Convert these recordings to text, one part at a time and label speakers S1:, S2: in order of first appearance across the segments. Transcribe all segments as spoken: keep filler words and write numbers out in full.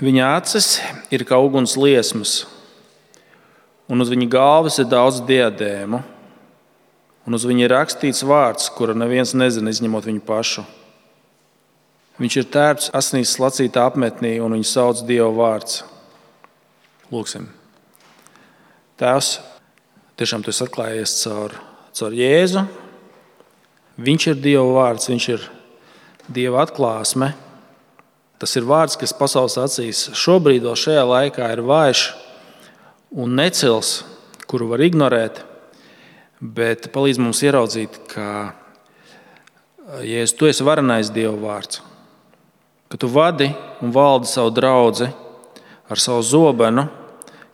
S1: Viņa acis ir kā uguns liesmas, un uz viņa galvas ir daudz diadēmu, un uz viņa ir rakstīts vārds, kuru neviens nezina, izņemot viņu pašu. Viņš ir tērpts asinīs slacītā apmetnī, un viņu sauc Dieva vārds. Lūksim. Tēvs, tiešām tu esi atklājies caur, caur Jēzu. Viņš ir Dieva vārds, viņš ir Dieva atklāsme. Tas ir vārds, kas pasaules acīs šobrīd, vēl šajā laikā, ir vājš un necils, kuru var ignorēt, bet palīdz mums ieraudzīt, ka Jēzus, tu esi varenais Dieva vārds, ka tu vadi un valdi savu draudzi ar savu zobenu,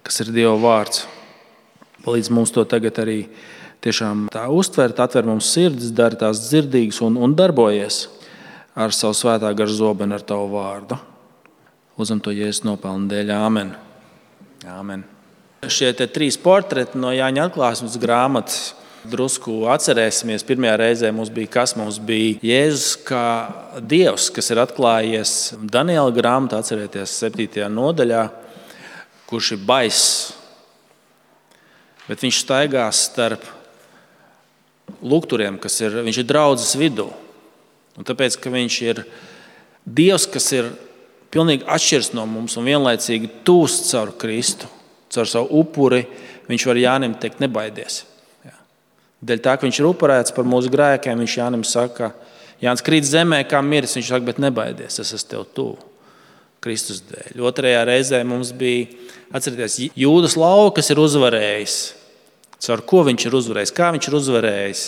S1: kas ir Dieva vārds. Palīdz mums to tagad arī tiešām tā uztvert, atver mums sirdis, dari tās dzirdīgas un, un darbojies ar savu svētā gara zobenu, ar tavu vārdu. Lūdzam to Jēzus nopelnu dēļ. Āmen. Āmen. Šie te trīs portreti no Jāņa atklāsmes grāmatas drusku atcerēsimies. Pirmajā reizē mums bija kas? Mums bija Jēzus kā Dievs, kas ir atklājies Daniela grāmatā, atcerieties, septītajā nodaļā, kurš ir baiss. Bet viņš staigās starp lukturiem, kas ir, viņš ir draudzes vidū. Un tāpēc, ka viņš ir Dievs, kas ir pilnīgi atšķirs no mums un vienlaicīgi tūs caur Kristu, caur savu upuri, viņš var Jānim teikt, nebaidies. Jā. Dēļ tā, ka viņš ir upurēts par mūsu grēkiem, viņš Jānim saka, Jānis krīt zemē kā miris, viņš saka, bet nebaidies, es esmu tev tuvu Kristus dēļ. Otrajā reizē mums bija, atcerieties, Jūdas lauva, kas ir uzvarējis. Caur ko viņš ir uzvarējis? Kā viņš ir uzvarējis?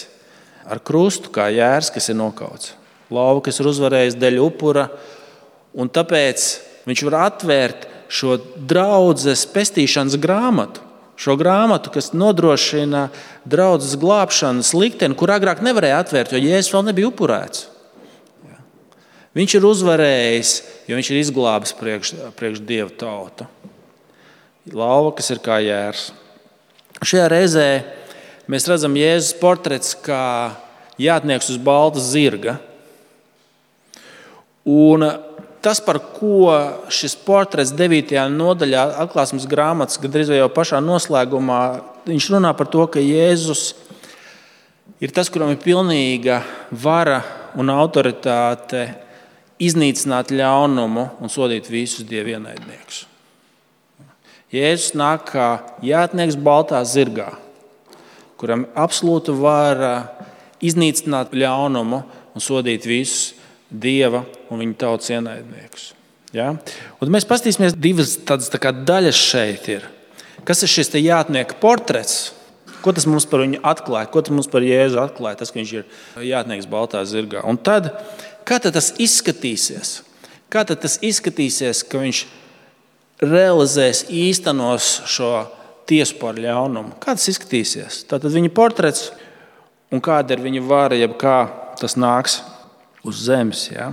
S1: Ar krustu, kā jērs, kas ir nokauts. Lauva, kas ir uzvarējis dēļ upura, un tāpēc viņš var atvērt šo draudzes pestīšanas grāmatu, šo grāmatu, kas nodrošina draudzes glābšanas likteni, kur agrāk nevarēja atvērt, jo Jēzus vēl nebija upurēts. Viņš ir uzvarējis, jo viņš ir izglābis priekš, priekš Dieva tautu. Lauva, kas ir kā jērs. Šajā reizē mēs redzam Jēzus portrets kā jātnieks uz balta zirga. Un tas, par ko šis portrets devītajā nodaļā atklāsmes grāmatas, gandrīz jau pašā noslēgumā, viņš runā par to, ka Jēzus ir tas, kuram ir pilnīga vara un autoritāte iznīcināt ļaunumu un sodīt visus Dieva ienaidniekus. Jēzus nāk kā jātnieks baltā zirgā, kuram absolūta vara iznīcināt ļaunumu un sodīt visus Dieva un viņa tautas ienaidniekus. Ja? Un mēs paskatīsimies divas tādas tā kā daļas šeit ir. Kas ir šis te jātnieka portrets? Ko tas mums par viņu atklāja? Ko tas mums par Jēzu atklāja? Tas, ka viņš ir jātnieks baltā zirgā. Un tad, kā tad tas izskatīsies? Kā tad tas izskatīsies, ka viņš realizēs, īstenos šo tiesu par ļaunumu? Kā tas izskatīsies? Tātad viņa portrets un kāda ir viņa vara, jeb kā tas nāks uz zemes. Ja?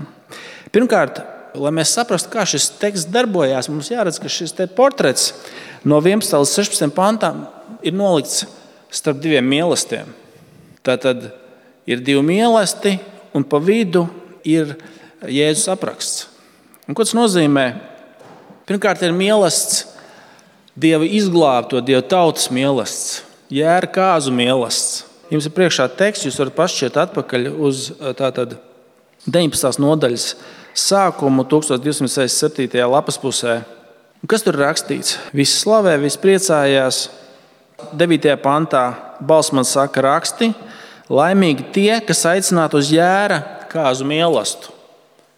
S1: Pirmkārt, lai mēs saprastu, kā šis teksts darbojās, mums jāredz, ka šis te portrets no vienpadsmitā līdz sešpadsmitajam pantam ir nolikts starp diviem mīlestiem. Tātad ir divi mīlesti un pa vidu ir Jēzus apraksts. Un ko tas nozīmē? Pirmkārt ir mīlestis, Dieva izglābto, Dieva tautas mīlestis, jēra kāzu mīlestis. Jums ir priekšā teksts, jūs varat pašķiet atpakaļ uz tātad deviņpadsmitās nodaļas sākumu tūkstoš divsimt sešdesmit septītajā lapas pusē. Un kas tur rakstīts? Visi slavē, visi priecājās. devītajā pantā balss man saka raksti, laimīgi tie, kas aicināti uz jēra kāzu mīlestību.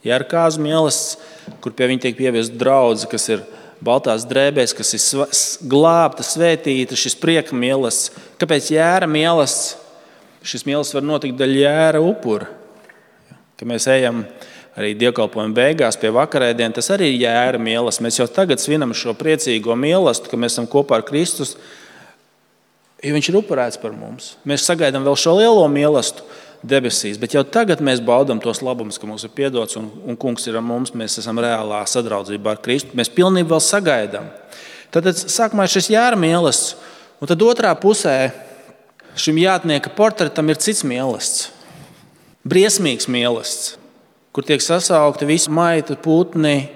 S1: Jēra kāzu mīlestību, kur pie viņa tiek pieviesta draudze, kas ir baltās drēbēs, kas ir glābta, svētīta, šis prieka mīlestība. Kāpēc jēra mīlestība? Šis mīlestība var notikt daļa jēra upura. Kad mēs ejam arī dievkalpojuma beigās pie vakarēdienas, tas arī ir jēra mīlestība. Mēs jau tagad svinam šo priecīgo mīlestību, ka mēs esam kopā ar Kristus, jo viņš ir upurēts par mums. Mēs sagaidām vēl šo lielo mīlestību debesīs, bet jau tagad mēs baudam tos labumus, ka mums ir piedots un, un kungs ir ar mums, mēs esam reālā sadraudzībā ar Kristu. Mēs pilnībā vēl sagaidām. Tad sākumā ir šis jēra mīlestība, un tad otrā pusē šim jātnieka portretam ir cits mīlestība. Briesmīgs mīlestība, kur tiek sasaukti visi maita, putni,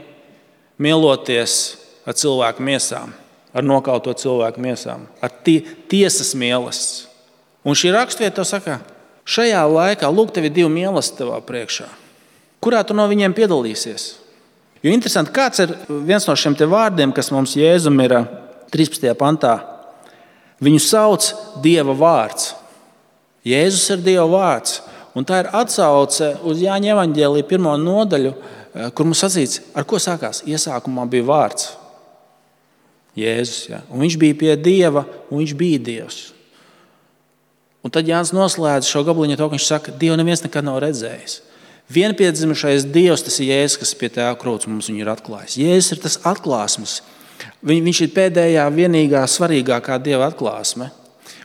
S1: mieloties ar cilvēku miesām, ar nokauto cilvēku miesām, ar tie, tiesas mīlestības. Un šī raksturvieta to saka, šajā laikā, lūk, tev ir divi mīlestības tavā priekšā. Kurā tu no viņiem piedalīsies? Jo interesanti, kāds ir viens no šiem te vārdiem, kas mums Jēzum ir trīspadsmitajā pantā. Viņu sauc Dieva vārds. Jēzus ir Dieva vārds. Un tā ir atsauce uz Jāņa evaņģēlija pirmo nodaļu, kur mums sacīts, ar ko sākās? Iesākumā bija vārds. Jēzus, ja? Un viņš bija pie Dieva, un viņš bija Dievs. Un tad Jānis noslēdz šo gabaliņu to, ka viņš saka, Dievu neviens nekad nav redzējis. Vienpiedzimušais Dievs, tas ir Jēzus, kas pie tēva krūts mums viņu ir atklājis. Jēzus ir tas atklāsmes. Viņš ir pēdējā, vienīgā, svarīgākā Dieva atklāsme.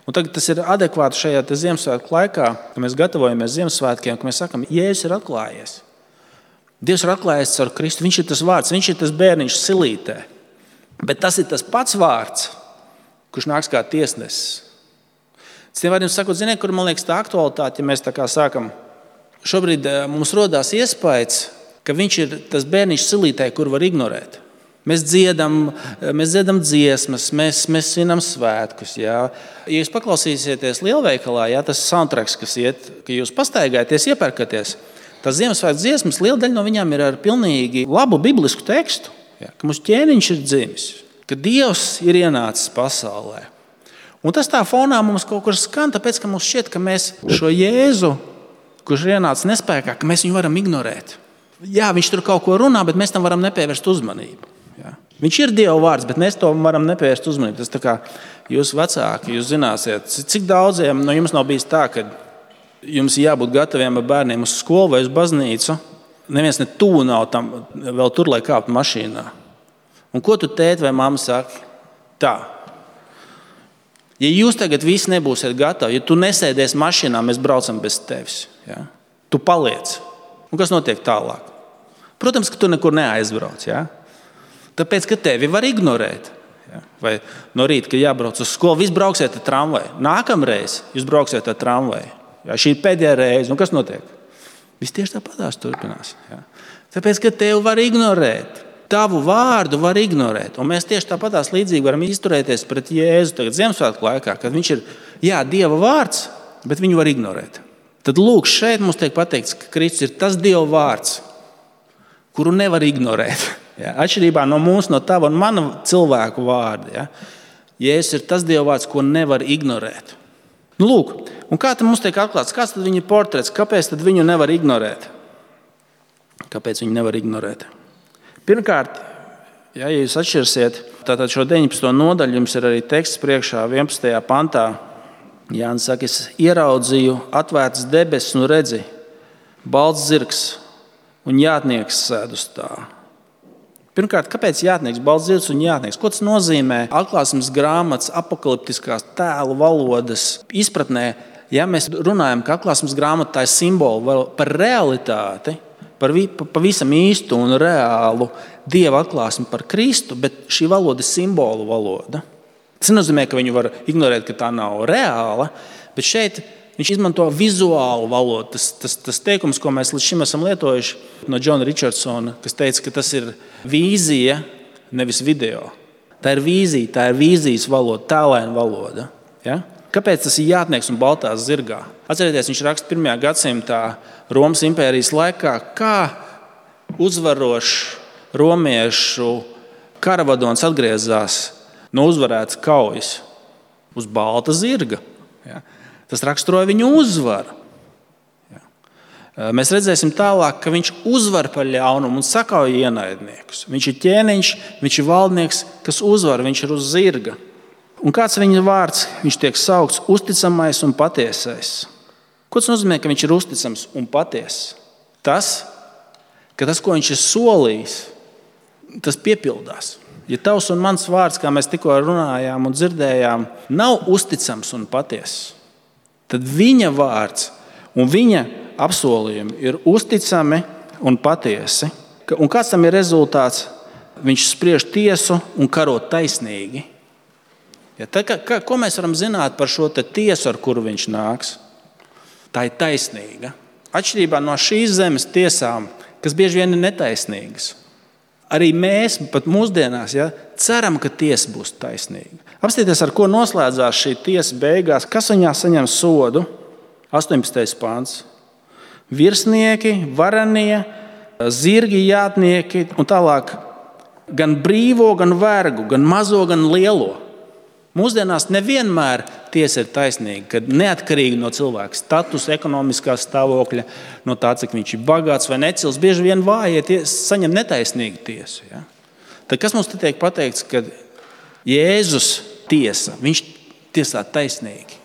S1: Un tagad tas ir adekvāti šajā Ziemassvētku laikā, kad mēs gatavojamies Ziemassvētkiem, ka mēs sakam, Jēzus ir atklājies. Dievs ir atklājies caur Kristu. Viņš ir tas vārds, viņš ir tas bērniņš silītē. Bet tas ir tas pats vārds, kurš nāks kā tiesnesis. Citiem vārdiem sakot, ziniet, kur man liekas tā aktualitāte, ja mēs tā kā sākam. Šobrīd mums rodās iespējas, ka viņš ir tas bērniņš silītē, kur var ignorēt. Mēs dziedam, mēs dziedam dziesmas, mēs, mēs svinam svētkus. Jā. Ja jūs paklausīsieties lielveikalā, jā, tas soundtracks, kas iet, ka jūs pastaigāties, iepērkaties, tas Ziemassvētku dziesmas, liela daļa no viņām ir ar pilnīgi labu biblisku tekstu. Jā, ka mūsu ķēniņš ir dzimis, ka Dievs ir ienācis pasaulē. Un tas tā fonā mums kaut kur skan, tāpēc, ka mums šķiet, ka mēs šo Jēzu, kurš ir ienācis nespēkā, ka mēs viņu varam ignorēt. Jā, viņš tur kaut ko runā, bet mēs tam varam nepievērst uzmanību. Jā. Viņš ir Dieva vārds, bet mēs to varam nepievērst uzmanību. Tas tā kā jūs vecāki, jūs zināsiet, cik daudziem no jums nav bijis tā, ka jums jābūt gataviem ar bērniem uz skolu vai uz baznīcu. Neviens ne tuvu nav tam vēl tur, lai kāptu mašīnā. Un ko tu tēti vai mamma saka? Tā. Ja jūs tagad visi nebūsiet gatavi, ja tu nesēdies mašīnā, mēs braucam bez tevis. Ja? Tu paliec. Un kas notiek tālāk? Protams, ka tu nekur neaizbrauc. Ja? Tāpēc, ka tevi var ignorēt. Ja? Vai no rīta, kad jābrauc uz skolu, viss brauksiet ar tramvaju. Nākamreiz jūs brauksiet ar tramvaju. Ja? Šī ir pēdējā reize. Un kas notiek? Viss tieši tāpatās turpinās. Ja? Tāpēc, ka tevi var ignorēt. Tavu vārdu var ignorēt. Un mēs tieši tāpatās līdzīgi varam izturēties pret Jēzu tagad Ziemassvētku laikā, kad viņš ir, jā, Dieva vārds, bet viņu var ignorēt. Tad lūk, šeit mums tiek pateikts, ka Kristus ir tas Dieva vārds, kuru nevar ignorēt. Ja? Atšķirībā no mums, no tava un mana cilvēku vārda. Ja? Jēzus ir tas Dieva vārds, ko nevar ignorēt. Nu, lūk, un kā tad mums tiek atklāts? Kāds tad viņa portrets? Kāpēc tad viņu nevar ignorēt? Kāpēc viņu nevar ignorēt? Pirmkārt, ja jūs atšķirsiet, tātad šo deviņpadsmito nodaļu jums ir arī teksts priekšā vienpadsmitajā pantā. Jānis saka, es ieraudzīju atvērtas debesis un redzi, balts zirgs un jātnieks sēd uz tā. Pirmkārt, kāpēc jātnieks, balts zirgs un jātnieks? Ko tas nozīmē atklāsmes grāmatas apokaliptiskās tēlu valodas izpratnē? Ja mēs runājam, ka atklāsmes grāmata tā ir simbolu par realitāti, par pavisam īstu un reālu Dieva atklāsmi par Kristu, bet šī valoda ir simbolu valoda. Tas nenozīmē, ka viņu var ignorēt, ka tā nav reāla, bet šeit viņš izmanto vizuālu valodu. Tas, tas, tas teikums, ko mēs līdz šim esam lietojuši no Džona Richardsona, kas teica, ka tas ir vīzija, nevis video. Tā ir vīzija, tā ir vīzijas valoda, tēlaina valoda. Ja? Kāpēc tas ir jātnieks un baltā zirgā? Atcerieties, viņš raksta pirmajā gadsimtā Romas impērijas laikā, kā uzvarošs romiešu karavadons atgriezās no uzvarētas kaujas uz balta zirga. Ja? Tas raksturoja viņu uzvaru. Ja? Mēs redzēsim tālāk, ka viņš uzvar par ļaunumu un sakauja ienaidniekus. Viņš ir ķēniņš, viņš ir valdnieks, kas uzvar, viņš ir uz zirga. Un kāds viņa vārds? Viņš tiek saukts uzticamais un patiesais. Ko tas nozīmē, ka viņš ir uzticams un patiess? Tas, ka tas, ko viņš ir solījis, tas piepildās. Ja tavs un mans vārds, kā mēs tikko runājām un dzirdējām, nav uzticams un patiess, tad viņa vārds un viņa apsolījumi ir uzticami un patiesi. Un kāds tam ir rezultāts? Viņš spriež tiesu un karo taisnīgi. Ja, tā, ka, ko mēs varam zināt par šo tiesu, ar kuru viņš nāks? Tā ir taisnīga. Atšķirībā no šīs zemes tiesām, kas bieži vien ir netaisnīgas. arī mēs pat mūsdienās ja, ceram, ka tiesa būs taisnīga. Apstieties, ar ko noslēdzās šī tiesa beigās. Kas viņā saņem sodu? astoņpadsmitais pāns. Virsnieki, varenie, zirgi, jātnieki un tālāk gan brīvo, gan vergu, gan mazo, gan lielo. Mūsdienās nevienmēr tiesa ir taisnīga, kad neatkarīgi no cilvēka statusa, ekonomiskā stāvokļa, no tā, cik viņš ir bagāts vai necils, bieži vien vājie ties, saņem netaisnīgu tiesu. Ja? Tad kas mums te tiek pateikts, kad Jēzus tiesa, viņš tiesā taisnīgi.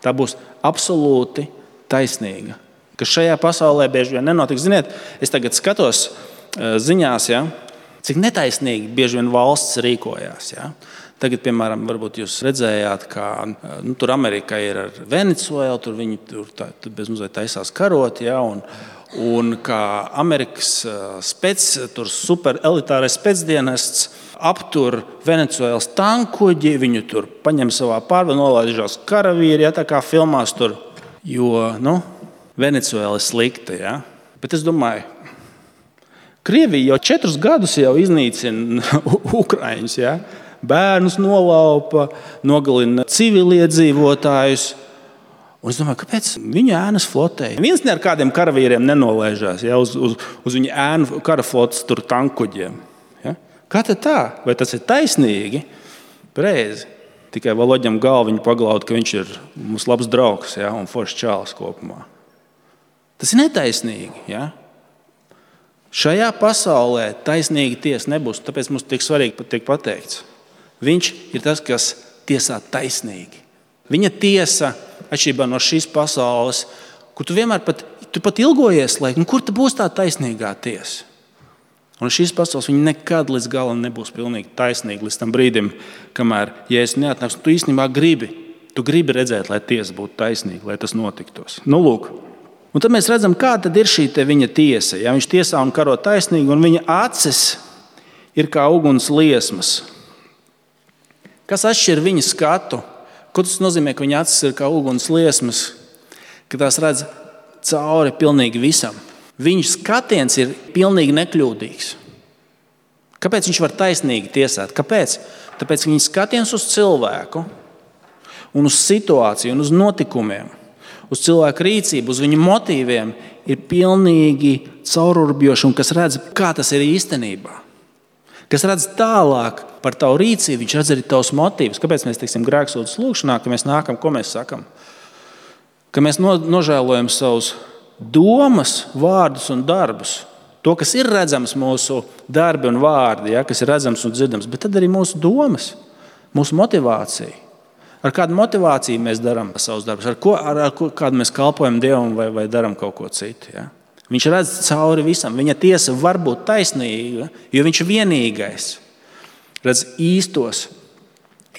S1: Tā būs absolūti taisnīga. Kas šajā pasaulē bieži vien nenotiks. Ziniet, es tagad skatos ziņās, ja, cik netaisnīgi bieži vien valsts rīkojās. Ja. Tagad, piemēram, varbūt jūs redzējāt, kā nu, tur Amerika ir ar Venecuēlu, tur viņi tur, tā, tur bezmazliet taisās karot, ja, un, un kā Amerikas spec, tur super elitārais specdienests aptur Venecuēlas tankuģi, viņu tur paņem savā pārvaldā, nolaižās karavīri, ja, tā kā filmās tur, jo, nu, Venecuēla ir slikta, ja. Bet es domāju, Krievija jau četrus gadus jau iznīcina Ukraiņus, ja. Bērnus nolaupa, nogalina civiliedzīvotājus. Un es domāju, kāpēc viņa ēnas flotēja? Viens ne ar kādiem karavīriem nenolaižās ja, uz, uz, uz viņa ēnu karaflotes tur tankuģiem. Ja? Kā tad tā? Vai tas ir taisnīgi? Preizi. Tikai Valoģam galviņu paglaud, ka viņš ir mums labs draugs ja, un foršs čāls kopumā. Tas ir netaisnīgi. Ja? Šajā pasaulē taisnīga tiesa nebūs, tāpēc mums tik svarīgi tiek pateikts. Viņš ir tas, kas tiesā taisnīgi. Viņa tiesa, atšķirībā no šīs pasaules, kur tu vienmēr pat, tu pat ilgojies, lai, un kur ta būs tā taisnīgā tiesa? Un šīs pasaules viņa nekad līdz galam nebūs pilnīgi taisnīga līdz tam brīdim, kamēr Jēzus neatnāks. Tu īstenībā gribi, tu gribi redzēt, lai tiesa būtu taisnīga, lai tas notiktos. Nu, lūk. Un tad mēs redzam, kā tad ir šī te viņa tiesa. Ja? Viņš tiesā un karo taisnīgi, un viņa acis ir kā uguns liesmas. Kas atšķir viņa skatu? Ko tas nozīmē, ka viņa acis ir kā uguns liesmas, ka tās redz cauri pilnīgi visam? Viņa skatiens ir pilnīgi nekļūdīgs. Kāpēc viņš var taisnīgi tiesāt? Kāpēc? Tāpēc viņa skatiens uz cilvēku un uz situāciju un uz notikumiem, uz cilvēku rīcību, uz viņa motīviem ir pilnīgi caururbjoši un kas redz, kā tas ir īstenībā. Kas redz tālāk par tavu rīcību, viņš redz arī tavus motīvus. Kāpēc mēs teiksim grēksūdzes lūgšanā, ka mēs nākam, ko mēs sakam? Ka mēs no, nožēlojam savus domas, vārdus un darbus. To, kas ir redzams mūsu darbi un vārdi, ja, kas ir redzams un dzirdams, bet tad arī mūsu domas, mūsu motivācija. Ar kādu motivāciju mēs darām savus darbus, ar, ko, ar, ar ko, kādu mēs kalpojam Dievam vai, vai darām kaut ko citu. Ja? Viņš redz cauri visam. Viņa tiesa var būt taisnīga, jo viņš ir vienīgais. Redz īstos,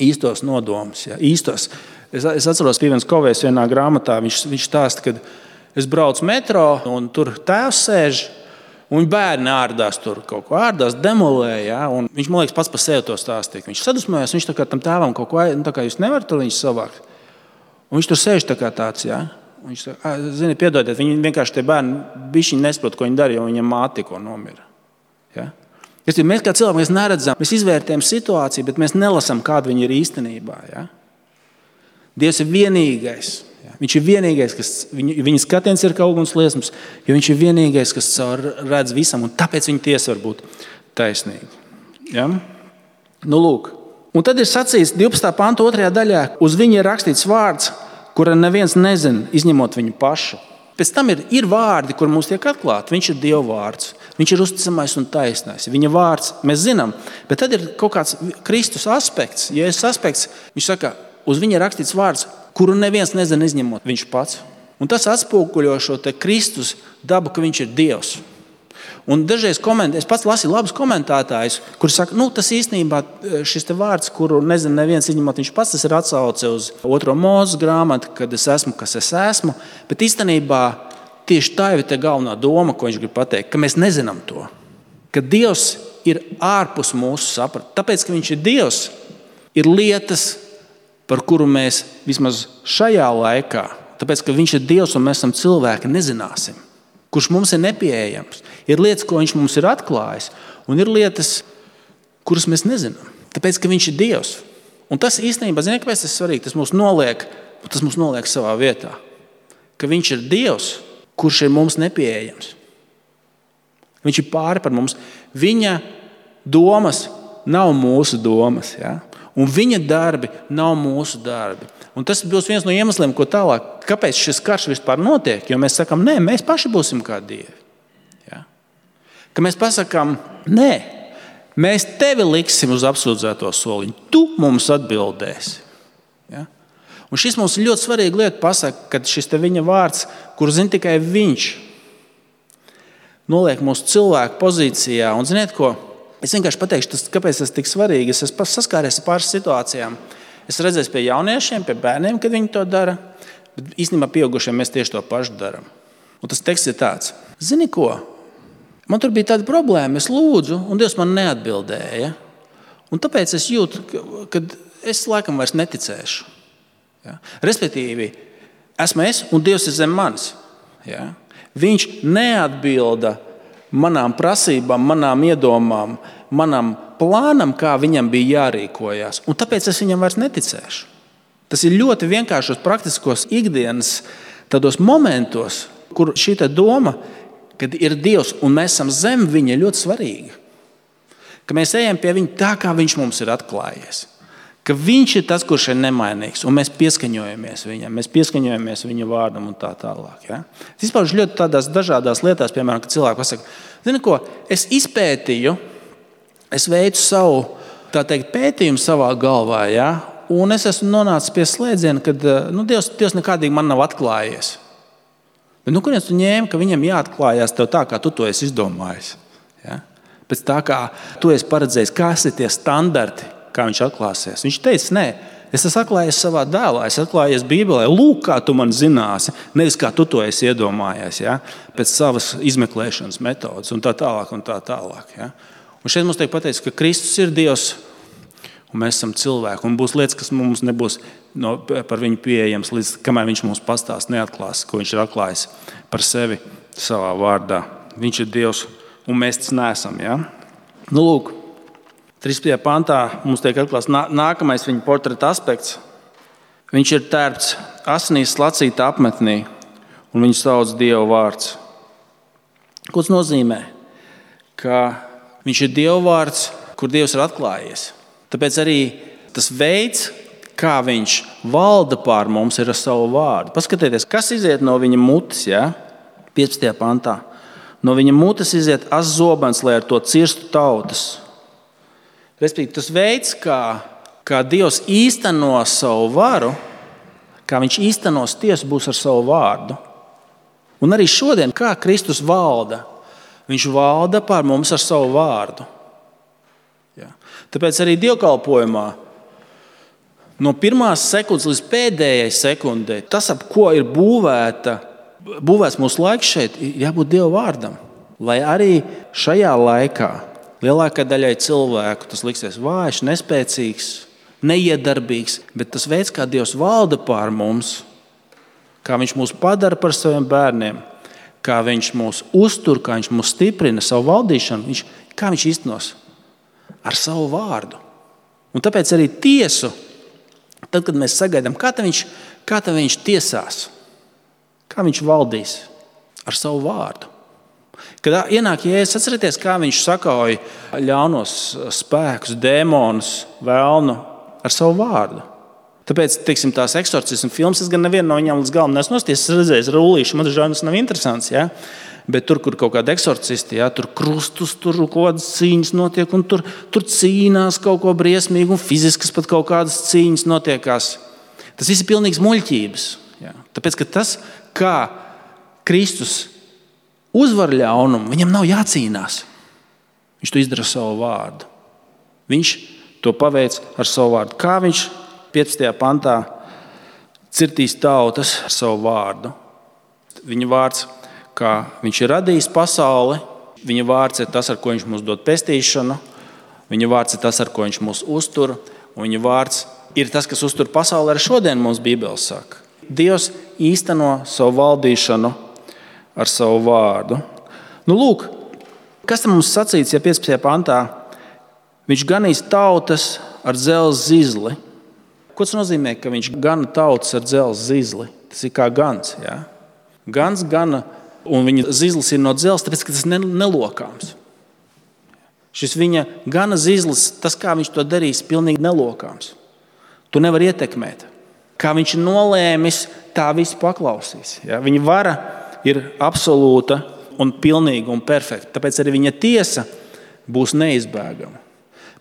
S1: īstos nodomus. Ja? Īstos. Es, es atceros, Pīvens Kovējs vienā grāmatā, viņš, viņš stāsta, kad es braucu metro un tur tēvs sēž, un bērni ārdās tur kaut ko ārdās, demolē. Ja? Un viņš, man liekas, pats par sevi to stāstīja. Viņš sadusmojās, viņš tā kā tam tēvam kaut ko, nu, tā kā jūs nevarat tur viņus savākt. Un viņš tur sēž tā kā tāds, ja? Viņš saka, zini, piedodiet, viņi vienkārši tie bērni bišķiņ nesaprot, ko viņi dara, jo viņam māte tikko nomira. Ja? Mēs kā cilvēki mēs neredzam, mēs izvērtējam situāciju, bet mēs nelasām, kāda viņa ir īstenībā. Ja? Dievs ir vienīgais. Ja? Viņš ir vienīgais, kas viņa, viņa skatiens ir kā uguns liesmas, jo viņš ir vienīgais, kas caur redz visam, un tāpēc viņa tiesa var būt taisnīga. Ja? Nu, lūk. Un tad ir sacīts divpadsmitā panta otrajā daļā, uz viņa ir rakstīts vārds, kura neviens nezina, izņemot viņu pašu. Pēc tam ir, ir vārdi, kur mums tiek atklāti. Viņš ir Dieva vārds. Viņš ir uzticamais un taisnais. Viņa vārds mēs zinām, bet tad ir kaut kāds Kristus aspekts. Jēzus aspekts, viņš saka, uz viņa ir rakstīts vārds, kuru neviens nezina, izņemot viņš pats. Un tas atspoguļo šo te Kristus dabu, ka viņš ir Dievs. Un dažreiz koment, es pats lasīju labus komentētājus, kuri saka, nu, tas īstenībā šis te vārds, kuru nezinu neviens izņemot viņš pats, tas ir atsauce uz otro Mūzes grāmatu, kad es esmu, kas es esmu. Bet īstenībā tieši tā ir te galvenā doma, ko viņš grib pateikt, ka mēs nezinām to. Ka Dievs ir ārpus mūsu saprata. Tāpēc, ka viņš ir Dievs, ir lietas, par kuru mēs vismaz šajā laikā, tāpēc, ka viņš ir Dievs un mēs esam cilvēki, nezināsim. Kurš mums ir nepieejams. Ir lietas, ko viņš mums ir atklājis, Un ir lietas, kuras mēs nezinām. Tāpēc, ka viņš ir Dievs. Un tas īstenībā, ziniet, kāpēc tas ir svarīgi? Tas mūs noliek, tas mūs noliek savā vietā. Ka viņš ir Dievs, kurš ir mums nepieejams. Viņš ir pāri par mums. Viņa domas nav mūsu domas. Ja? Un viņa darbi nav mūsu darbi. Un tas būs viens no iemesliem, ko tālāk, kāpēc šis karš vispār notiek. Jo mēs sakām, nē, mēs paši būsim kā Dievi. Ja? Ka mēs pasakām, nē, mēs tevi liksim uz apsūdzēto soliņu. Tu mums atbildēsi. Ja? Un šis mums ir ļoti svarīga lieta pasaka, kad šis te viņa vārds, kur zina tikai viņš, noliek mūsu cilvēku pozīcijā. Un ziniet ko? Es vienkārši pateikšu, tas, kāpēc tas tik svarīgi. Es esmu saskāries ar pāris situācijām. Es redzēju pie jauniešiem, pie bērniem, kad viņi to dara. Bet īstenībā pieaugušiem mēs tieši to pašu darām. Un tas teksts ir tāds. Zini ko? Man tur bija tāda problēma. Es lūdzu, un Dievs man neatbildēja. Un tāpēc es jūtu, ka es laikam vairs neticēšu. Ja? Respektīvi, esmu es un Dievs ir zem manis. Ja? Viņš neatbilda manām prasībām, manām iedomām, manam plānam, kā viņam bija jārīkojas. Un tāpēc es viņam vairs neticēšu. Tas ir ļoti vienkāršos, praktiskos ikdienas tādos momentos, kur šī doma, kad ir Dievs un mēs esam zem viņa, ļoti svarīga. Ka mēs ejam pie viņa tā, kā viņš mums ir atklājies. Ka viņš ir tas, kurš ir nemainīgs, un mēs pieskaņojamies viņam, mēs pieskaņojamies viņa vārdam un tā tālāk. Ja? Es izpaužu ļoti tādās dažādās lietās, piemēram, kad cilvēki pasaka, zini ko, es izpētīju, es veicu savu, tā teikt, pētījumu savā galvā, ja? Un es esmu nonācis pie slēdziena, ka nu, Dievs, Dievs nekādīgi man nav atklājies. Bet nu, kurienes tu ņēmi, ka viņam jāatklājās tev tā, kā tu to esi izdomājis? Ja? Pēc tā, kā tu esi paredzējis, kas ir tie standarti, kā viņš atklāsies. Viņš teica, nē, es esmu atklājies savā dēlā, es atklājies Bībelē, lūk, kā tu man zināsi, nevis kā tu to esi iedomājies, ja? Pēc savas izmeklēšanas metodas un tā tālāk un tā tālāk. Ja? Un šeit mums tiek pateikts, ka Kristus ir Dievs un mēs esam cilvēki. Un būs lietas, kas mums nebūs no, par viņu pieejams, līdz kamēr viņš mums pastāst, neatklās, ko viņš ir atklājis par sevi savā vārdā. Viņš ir Dievs un mēs tas neesam. Ja? Nu, lūk, trīspadsmitajā pantā mums tiek atklāts nākamais viņa portreta aspekts. Viņš ir tērpts asinīs slacīta apmetnī, un viņu sauc Dieva vārds. Ko tas nozīmē? Ka viņš ir Dieva vārds, kur Dievs ir atklājies. Tāpēc arī tas veids, kā viņš valda pār mums, ir ar savu vārdu. Paskatieties, kas iziet no viņa mutes, ja? piecpadsmitajā pantā. No viņa mutes iziet as zobens, lai ar to cirstu tautas. Respektīvi, tas veids, kā, kā Dievs īsteno savu varu, kā viņš īstenos tiesu, būs ar savu vārdu. Un arī šodien, kā Kristus valda, viņš valda pār mums ar savu vārdu. Ja. Tāpēc arī dievkalpojumā no pirmās sekundes līdz pēdējai sekundei, tas, ap ko ir būvēta, būvēts mūsu laiks šeit, ir jābūt Dieva vārdam. Lai arī šajā laikā lielākai daļai cilvēku tas liksies vājš, nespēcīgs, neiedarbīgs, bet tas veids, kā Dievs valda pār mums, kā viņš mūs padara par saviem bērniem, kā viņš mūs uztur, kā viņš mūs stiprina savu valdīšanu, viņš, kā viņš īstenos ar savu vārdu. Un tāpēc arī tiesu, tad, kad mēs sagaidām, kā tad viņš, kā tad viņš tiesās, kā viņš valdīs ar savu vārdu. Kad ienāk Jēzus, atcerieties, kā viņš sakauja ļaunos spēkus, dēmonus, vēlnu ar savu vārdu. Tāpēc, teiksim, tās eksorcismu filmas, es gan nevienu no viņām līdz galam neesmu noskatījies, es redzēju rullīšu, man dažādi tas nav interesants, ja? Bet tur, kur kaut kādi eksorcisti, ja? Tur krustus, tur kaut kādas cīņas notiek, un tur, tur cīnās kaut ko briesmīgu, un fiziskas pat kaut kādas cīņas notiekās. Tas viss ir pilnīgs muļķības. Ja? Tāpēc, ka tas, kā Kristus uzvar ļaunumu, viņam nav jācīnās. Viņš to izdara savu vārdu. Viņš to paveic ar savu vārdu. Kā viņš piecpadsmitajā pantā cirtīs tautas ar savu vārdu. Viņa vārds, kā viņš ir radījis pasauli, viņa vārds ir tas, ar ko viņš mums dod pestīšanu, viņa vārds ir tas, ar ko viņš mūs uztur, un viņa vārds ir tas, kas uztur pasauli, arī šodien mums Bībele saka. Dievs īsteno savu valdīšanu ar savu vārdu. Nu, lūk, Kas tam mums sacīts, ja piecpadsmitajā pantā? Viņš ganīs tautas ar dzelzs zizli. Ko tas nozīmē, ka viņš gana tautas ar dzelzs zizli? Tas ir kā gans. Ja? Gans gana, un viņa zizlis ir no dzelzs, tāpēc, ka tas ir nelokāms. Šis viņa gana zizlis, tas, kā viņš to darīs, pilnīgi nelokāms. Tu nevar ietekmēt. Kā viņš ir nolēmis, tā viss paklausīs. Ja? Viņa vara ir absolūta un pilnīga un perfekta. Tāpēc arī viņa tiesa būs neizbēgama.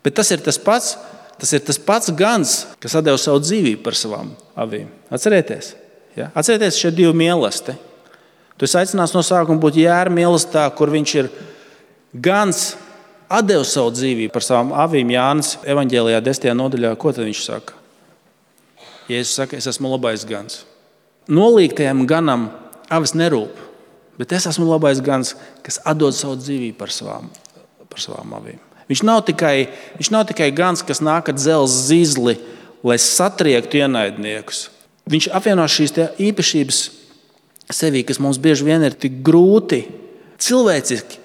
S1: Bet tas ir tas pats, tas ir tas pats gans, kas atdeva savu dzīvību par savām avīm. Atcerieties? Ja? Atcerieties šie divi mīlesti. Tu esi aicināts no sākuma būt Jēra mīlestā, kur viņš ir gans, atdeva savu dzīvību par savām avīm. Jānis evaņģēlijā desmitajā nodaļā, ko tad viņš saka? Jēzus saka, es esmu labais gans. Nolīgtajam ganam avis nerūp. Bet es esmu labais gans, kas atdod savu dzīvību par savām, par savām avīm. Viņš nav, tikai, viņš nav tikai gans, kas nāk ar dzelzs zizli, lai satriektu ienaidniekus. Viņš apvieno šīs īpašības sevī, kas mums bieži vien ir tik grūti cilvēciski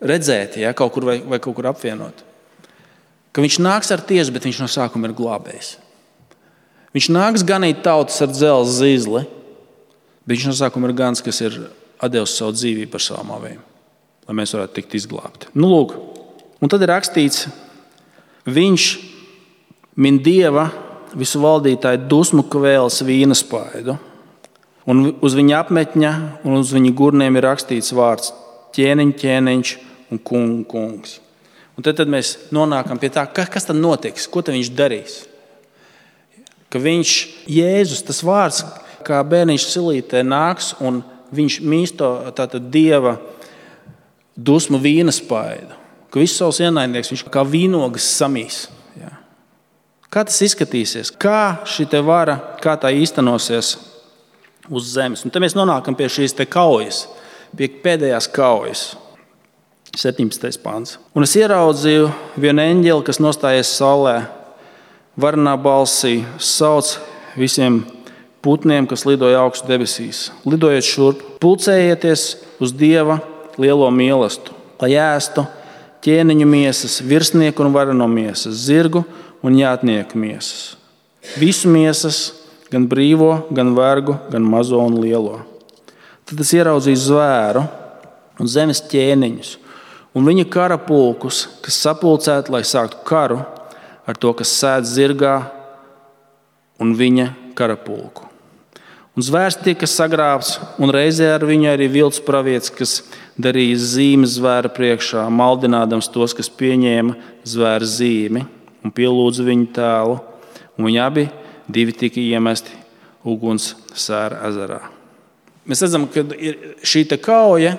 S1: redzēt, ja, kaut kur vai, vai kaut kur apvienot. Ka viņš nāks ar tiesu, bet viņš no sākuma ir glābējs. Viņš nāks ganīt tautas ar dzelzs zizli, bet viņš no sākuma ir gans, kas ir atdevis savu dzīvību par savām avīm, lai mēs varētu tikt izglābti. Nu, lūk, un tad ir rakstīts, viņš min Dieva visu valdītāju dusmu kvēles vīnaspaidu, un uz viņa apmetņa un uz viņa gurniem ir rakstīts vārds ķēniņ, ķēniņš un kung, kungs. Un tad, tad mēs nonākam pie tā, kas tad notiks, ko tad viņš darīs. Ka viņš, Jēzus, tas vārds, kā bērniņš silītē nāks un viņš mīsto tātad Dieva dusmu vīnaspaidu, ka visus savus ienaidnieks viņš kā vīnogas samīs. Jā. Kā tas izskatīsies? Kā šī te vara, kā tā īstenosies uz zemes? Un te mēs nonākam pie šīs te kaujas, pie pēdējās kaujas. septiņpadsmitais pants. Un es ieraudzīju vienu eņģeli, kas nostājies saulē, varnā balsī, sauc visiem putniem, kas lidoja augstu debesīs. Lidojiet šurp, pulcējieties uz Dieva lielo mīlestību, lai ēstu ķēniņu miesas, virsnieku un vareno miesas, zirgu un jātnieku miesas. Visu miesas, gan brīvo, gan vergu, gan mazo un lielo. Tad es ieraudzīju zvēru un zemes ķēniņus un viņa karapulkus, kas sapulcēti, lai sāktu karu ar to, kas sēd zirgā un viņa karapulku. Un zvērs tika sagrābts, un reizē ar viņu arī vilts pravietis, kas darīja zīmes zvēra priekšā, maldinādams tos, kas pieņēma zvēra zīmi un pielūdza viņu tēlu, un viņi abi divi tika iemesti uguns sēra ezerā. Mēs redzam, ka ir šī te kauja.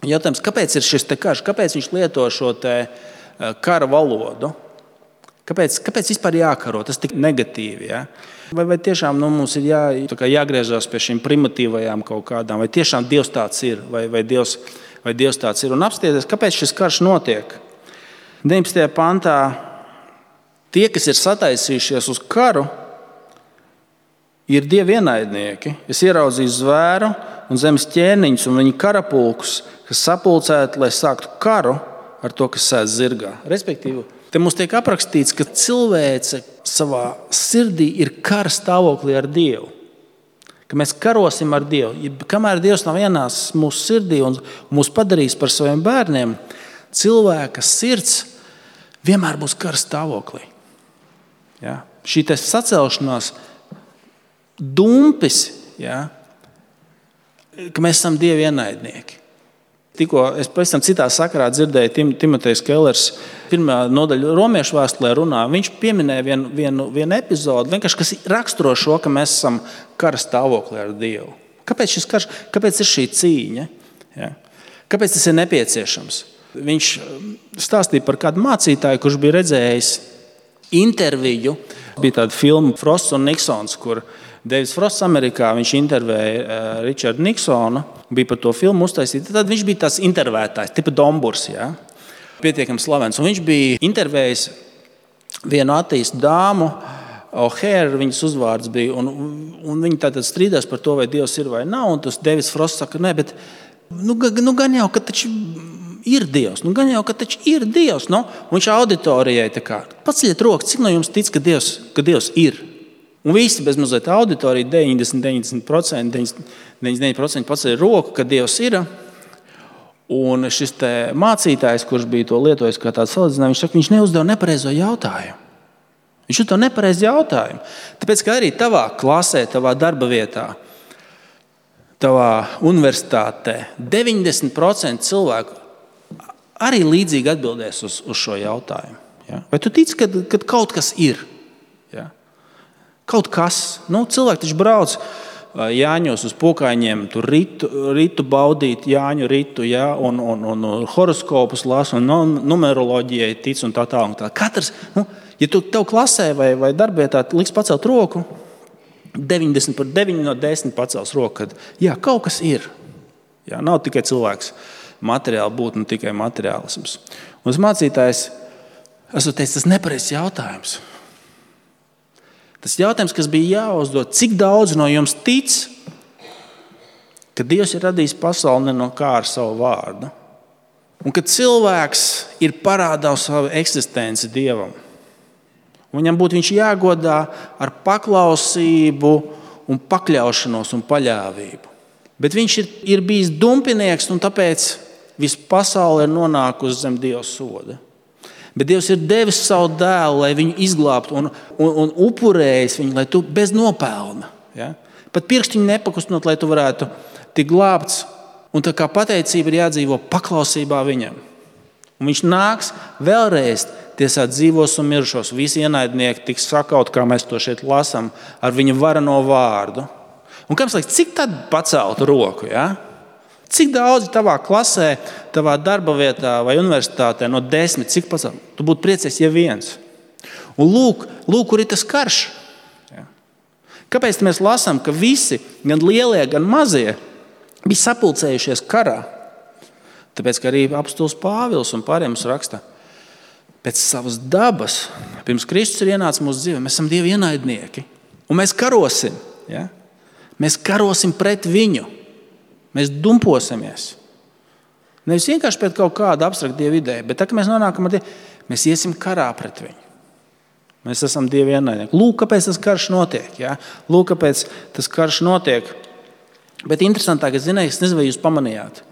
S1: Jautājums, kāpēc ir šis te karš? Kāpēc viņš lieto šo te kara valodu? Kāpēc, kāpēc vispār jākaro? Tas tik negatīvi, ja? Vai, vai tiešām nu, mums ir jā, jāgriežas pie šīm primitīvajām kaut kādām? Vai tiešām Dievs tāds ir? Vai, vai, Dievs, vai Dievs tāds ir? Un apstieties, kāpēc šis karš notiek? deviņpadsmitajā pantā tie, kas ir sataisījušies uz karu, ir Dieva ienaidnieki. Es ieraudzīju zvēru un zemes ķēniņus un viņa karapulkus, kas sapulcēti, lai sāktu karu ar to, kas sēž zirgā. Respektīvi, te mums tiek aprakstīts, ka cilvēce savā sirdī ir kara stāvoklī ar Dievu. Ka mēs karosim ar Dievu. Kamēr Dievs nav ienācis mūsu sirdī un mūs padarījis par saviem bērniem, cilvēka sirds vienmēr būs kara stāvoklī. Ja? Šī te sacelšanās dumpis, ja? Ka mēs esam Dieva ienaidnieki. Tikko es pavisam citā sakarā dzirdēju Tim, Timotejs Kellers pirmā nodaļa Romiešu vēstulē runā. Viņš pieminēja vienu, vienu, vienu epizodu, vienkārši, kas raksturo šo, ka mēs esam kara stāvoklī ar Dievu. Kāpēc šis karš, kāpēc ir šī cīņa? Ja? Kāpēc tas ir nepieciešams? Viņš stāstīja par kādu mācītāju, kurš bija redzējis interviju. Bija tāda filma Frosts un Niksons, kur Deivids Frosts Amerikā, viņš intervēja Richardu Niksonu, bija par to filmu uztaisīta. Tad viņš bija tāds intervētājs, tipa Domburs, ja? Pietiekami slavens. Un viņš bija intervējis vienu attīstu dāmu, O'Hare viņas uzvārds bija, un, un viņi tātad strīdās par to, vai Dievs ir vai nav, un tas Deivids Frosts saka, nē, bet nu, nu gan jau, ka taču ir Dievs. Nu, gan jau, ka taču ir Dievs. Nu, un viņš auditorijai tā kā, paceļiet roku, cik no jums tic, ka Dievs, ka Dievs ir? Un visi bez mazliet auditorija, deviņdesmit, deviņdesmit procenti, deviņdesmit deviņi procenti paceļ roku, ka Dievs ir. Un šis te mācītājs, kurš bija to lietojis kā tāds salīdzinājums, viņš saka, viņš neuzdeva nepareizo jautājumu. Viņš uzdeva nepareizo jautājumu. Tāpēc, ka arī tavā klasē, tavā darba vietā, tavā universitātē deviņdesmit procenti cilvēku arī līdzīgi atbildēs uz, uz šo jautājumu. Ja? Vai tu tici, ka, ka kaut kas ir? Ja? Kaut kas. Nu, cilvēki taču brauc Jāņos uz Pokaiņiem, tur ritu, ritu baudīt, Jāņu ritu, ja? un, un, un, un horoskopus lasa, un numeroloģijai tic un tā tā. Un tā. Katrs, nu, ja tu tev klasē vai, vai darbietā liks pacelt roku, deviņdesmit par deviņi no desmit pacels roku, kad jā, kaut kas ir. Jā, nav tikai cilvēks materiāli būt, nu tikai materiālisms. Un tas mācītājs, esmu teicis, tas nepareizs jautājums. Tas jautājums, kas bija jāuzdod, cik daudz no jums tic, ka Dievs ir radījis pasauli ne no kā ar savu vārdu. Un ka cilvēks ir parādā savu eksistenci Dievam. Un viņam būtu viņš jāgodā ar paklausību un pakļaušanos un paļāvību. Bet viņš ir, ir bijis dumpinieks, un tāpēc visa pasaule ir nonākusi zem Dieva soda. Bet Dievs ir devis savu dēlu, lai viņu izglābtu un, un, un upurējis viņu, lai tu bez nopelna. Ja? Pat pirkstiņu nepakustinot, lai tu varētu tikt glābts. Un tā kā pateicība ir jādzīvo paklausībā viņam. Un viņš nāks vēlreiz tiesāt dzīvos un mirušos. Visi ienaidnieki tiks sakaut, kā mēs to šeit lasām, ar viņa varano vārdu. Un kāds liekas, cik tad pacelt roku? Ja? Cik daudz tavā klasē, tavā darba vietā vai universitātē no desmit, cik pacelt? Tu būtu priecies, ja viens. Un lūk, lūk kur ir tas karš. Ja? Kāpēc mēs lasām, ka visi, gan lielie, gan mazie, bija sapulcējušies karā? Tāpēc, ka arī apostols Pāvils un pārējiem mums raksta, pēc savas dabas, pirms Kristus ir ienācis mūsu dzīvē, mēs esam Dieva ienaidnieki. Un mēs karosim. Ja? Mēs karosim pret viņu. Mēs dumposimies. Nevis vienkārši pret kaut kādu abstraktu Dieva ideju, bet tā, ka mēs nonākam ar Dievu, mēs iesim karā pret viņu. Mēs esam Dieva ienaidnieki. Lūk, kāpēc tas karš notiek. Ja? Lūk, kāpēc tas karš notiek. Bet interesantāk, es zināju, es nezinu, vai jūs pamanījāt.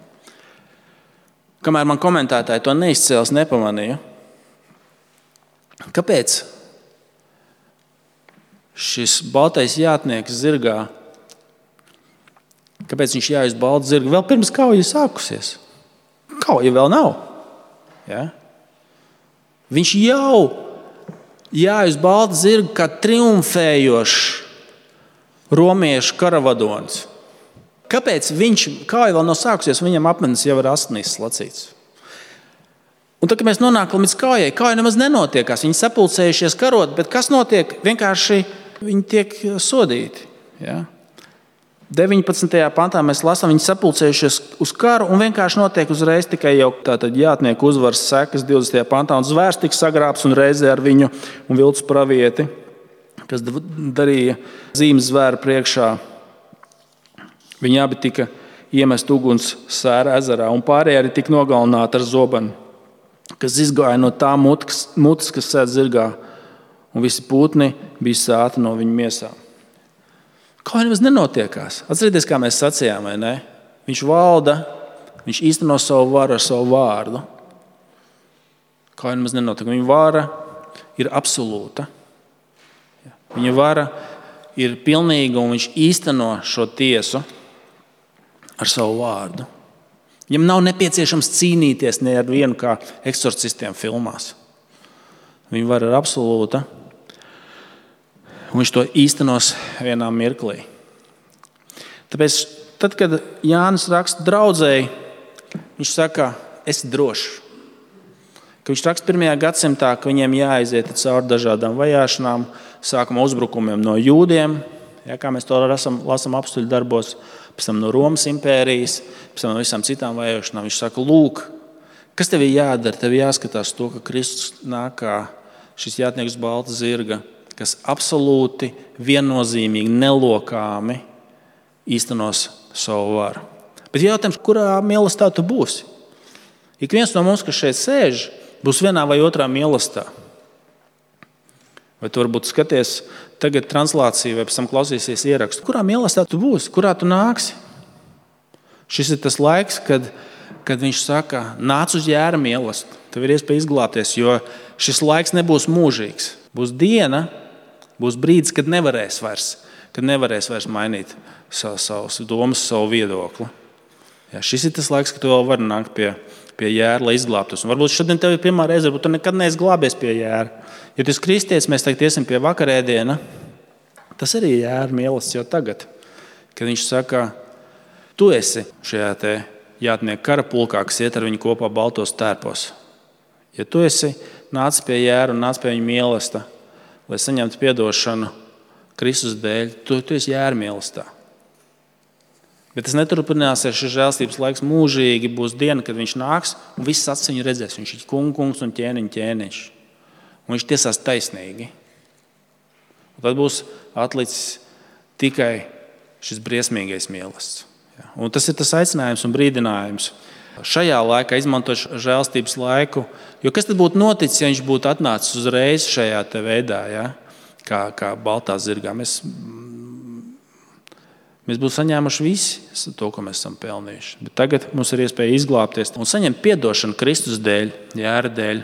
S1: Kamēr man komentētāji to neizcēlis, nepamanīju. Kāpēc šis baltais jātnieks zirgā, kāpēc viņš jāiz baltu zirgu vēl pirms kauja sākusies? Kauja vēl nav. Ja? Viņš jau jāiz baltu zirgu kā triumfējošs romiešu karavadonis. Kāpēc viņš, kauja vēl nav sākusies, viņam apmetnes jau ir asnīs slacīts? Un tad, kad mēs nonākam līdz kaujai, kauja nemaz nenotiekās. Viņi sapulcējušies karot, bet kas notiek? Vienkārši viņi tiek sodīti. Ja? deviņpadsmitajā pantā mēs lasām, viņi sapulcējušies uz karu un vienkārši notiek uzreiz tikai jau tātad jātnieku uzvaras sekas divdesmitajā pantā un zvērs tika sagrābs un reizē ar viņu un viltus pravieti, kas darīja zīmes zvēra priekšā. Viņi abi tika iemest uguns sēra ezerā un pārējie arī tika nogalināti ar zobenu, kas izgāja no tā mutes, mutes, kas sēd zirgā, un visi pūtni bija sāti no viņa miesām. Kā nemaz nenotiekās. Atcerieties, kā mēs sacījām, vai ne? Viņš valda, viņš īsteno savu varu ar savu vārdu. Kā nemaz nenotiek. Viņa vara ir absolūta. Viņa vara ir pilnīga, un viņš īsteno šo tiesu ar savu vārdu. Viņam nav nepieciešams cīnīties ne ar vienu kā eksorcistiem filmās. Viņa vara ir absolūta. Un viņš to īstenos vienā mirklī. Tāpēc, tad, kad Jānis raksta draudzēji, viņš saka, esi drošs. Ka viņš raksta pirmajā gadsimtā, ka viņiem jāaiziet cauri dažādām vajāšanām, sākuma uzbrukumiem no jūdiem, ja, kā mēs to lasām, lasām apstuļu darbos, pēc tam no Romas impērijas, pēc tam no visām citām vajāšanām. Viņš saka, lūk, kas tev ir jādara? Tev jāskatās to, ka Kristus nāk kā šis jātnieks balta zirga, kas absolūti, viennozīmīgi, nelokāmi īstenos savu varu. Bet jautājums, kurā mīlestībā tu būsi? Ik viens no mums, kas šeit sēž, būs vienā vai otrā mīlestībā. Vai tu varbūt skaties tagad translāciju, vai pēc tam klausīsies ierakstu. Kurā mīlestībā tu būsi? Kurā tu nāksi? Šis ir tas laiks, kad, kad viņš saka, nāc uz Jēra mīlestību. Tev ir iespēja izglābties, jo šis laiks nebūs mūžīgs. Būs diena, būs brīdis, kad nevarēs vairs, kad nevarēs vairs mainīt savu, savus domas, savu viedokli. Jā, šis ir tas laiks, kad tu vēl vari nākt pie, pie Jēra, lai izglābtos. Un varbūt šodien tev ir pirmā reize, varbūt tu nekad neesi glābies pie Jēra. Ja tu esi kristietis, mēs tagad iesim pie vakarēdiena. Tas arī ir Jēra mīlestība jau tagad, kad viņš saka, tu esi šajā te jātnieku kara pulkā, kas iet ar viņu kopā baltos tērpos. Ja tu esi nācis pie Jēra un nācis pie viņa mīlestības, lai saņemtu piedošanu Kristus dēļ, tu, tu esi Jēra mīlestībā. Bet tas neturpināsies, šis žēlstības laiks mūžīgi. Būs diena, kad viņš nāks un viss acis viņu redzēs. Viņš ir kungs un ķēniņ ķēniņš. Un viņš tiesās taisnīgi. Un tad būs atlicis tikai šis briesmīgais mīlestības. Un tas ir tas aicinājums un brīdinājums. Šajā laikā izmantot žēlstības laiku, jo kas tad būtu noticis, ja viņš būtu atnācis uzreiz šajā te veidā, ja? kā, kā baltā zirgā. Mēs, mēs būtu saņēmuši visi to, ko mēs esam pelnījuši. Bet tagad mums ir iespēja izglābties un saņemt piedošanu Kristus dēļ, Jēra dēļ.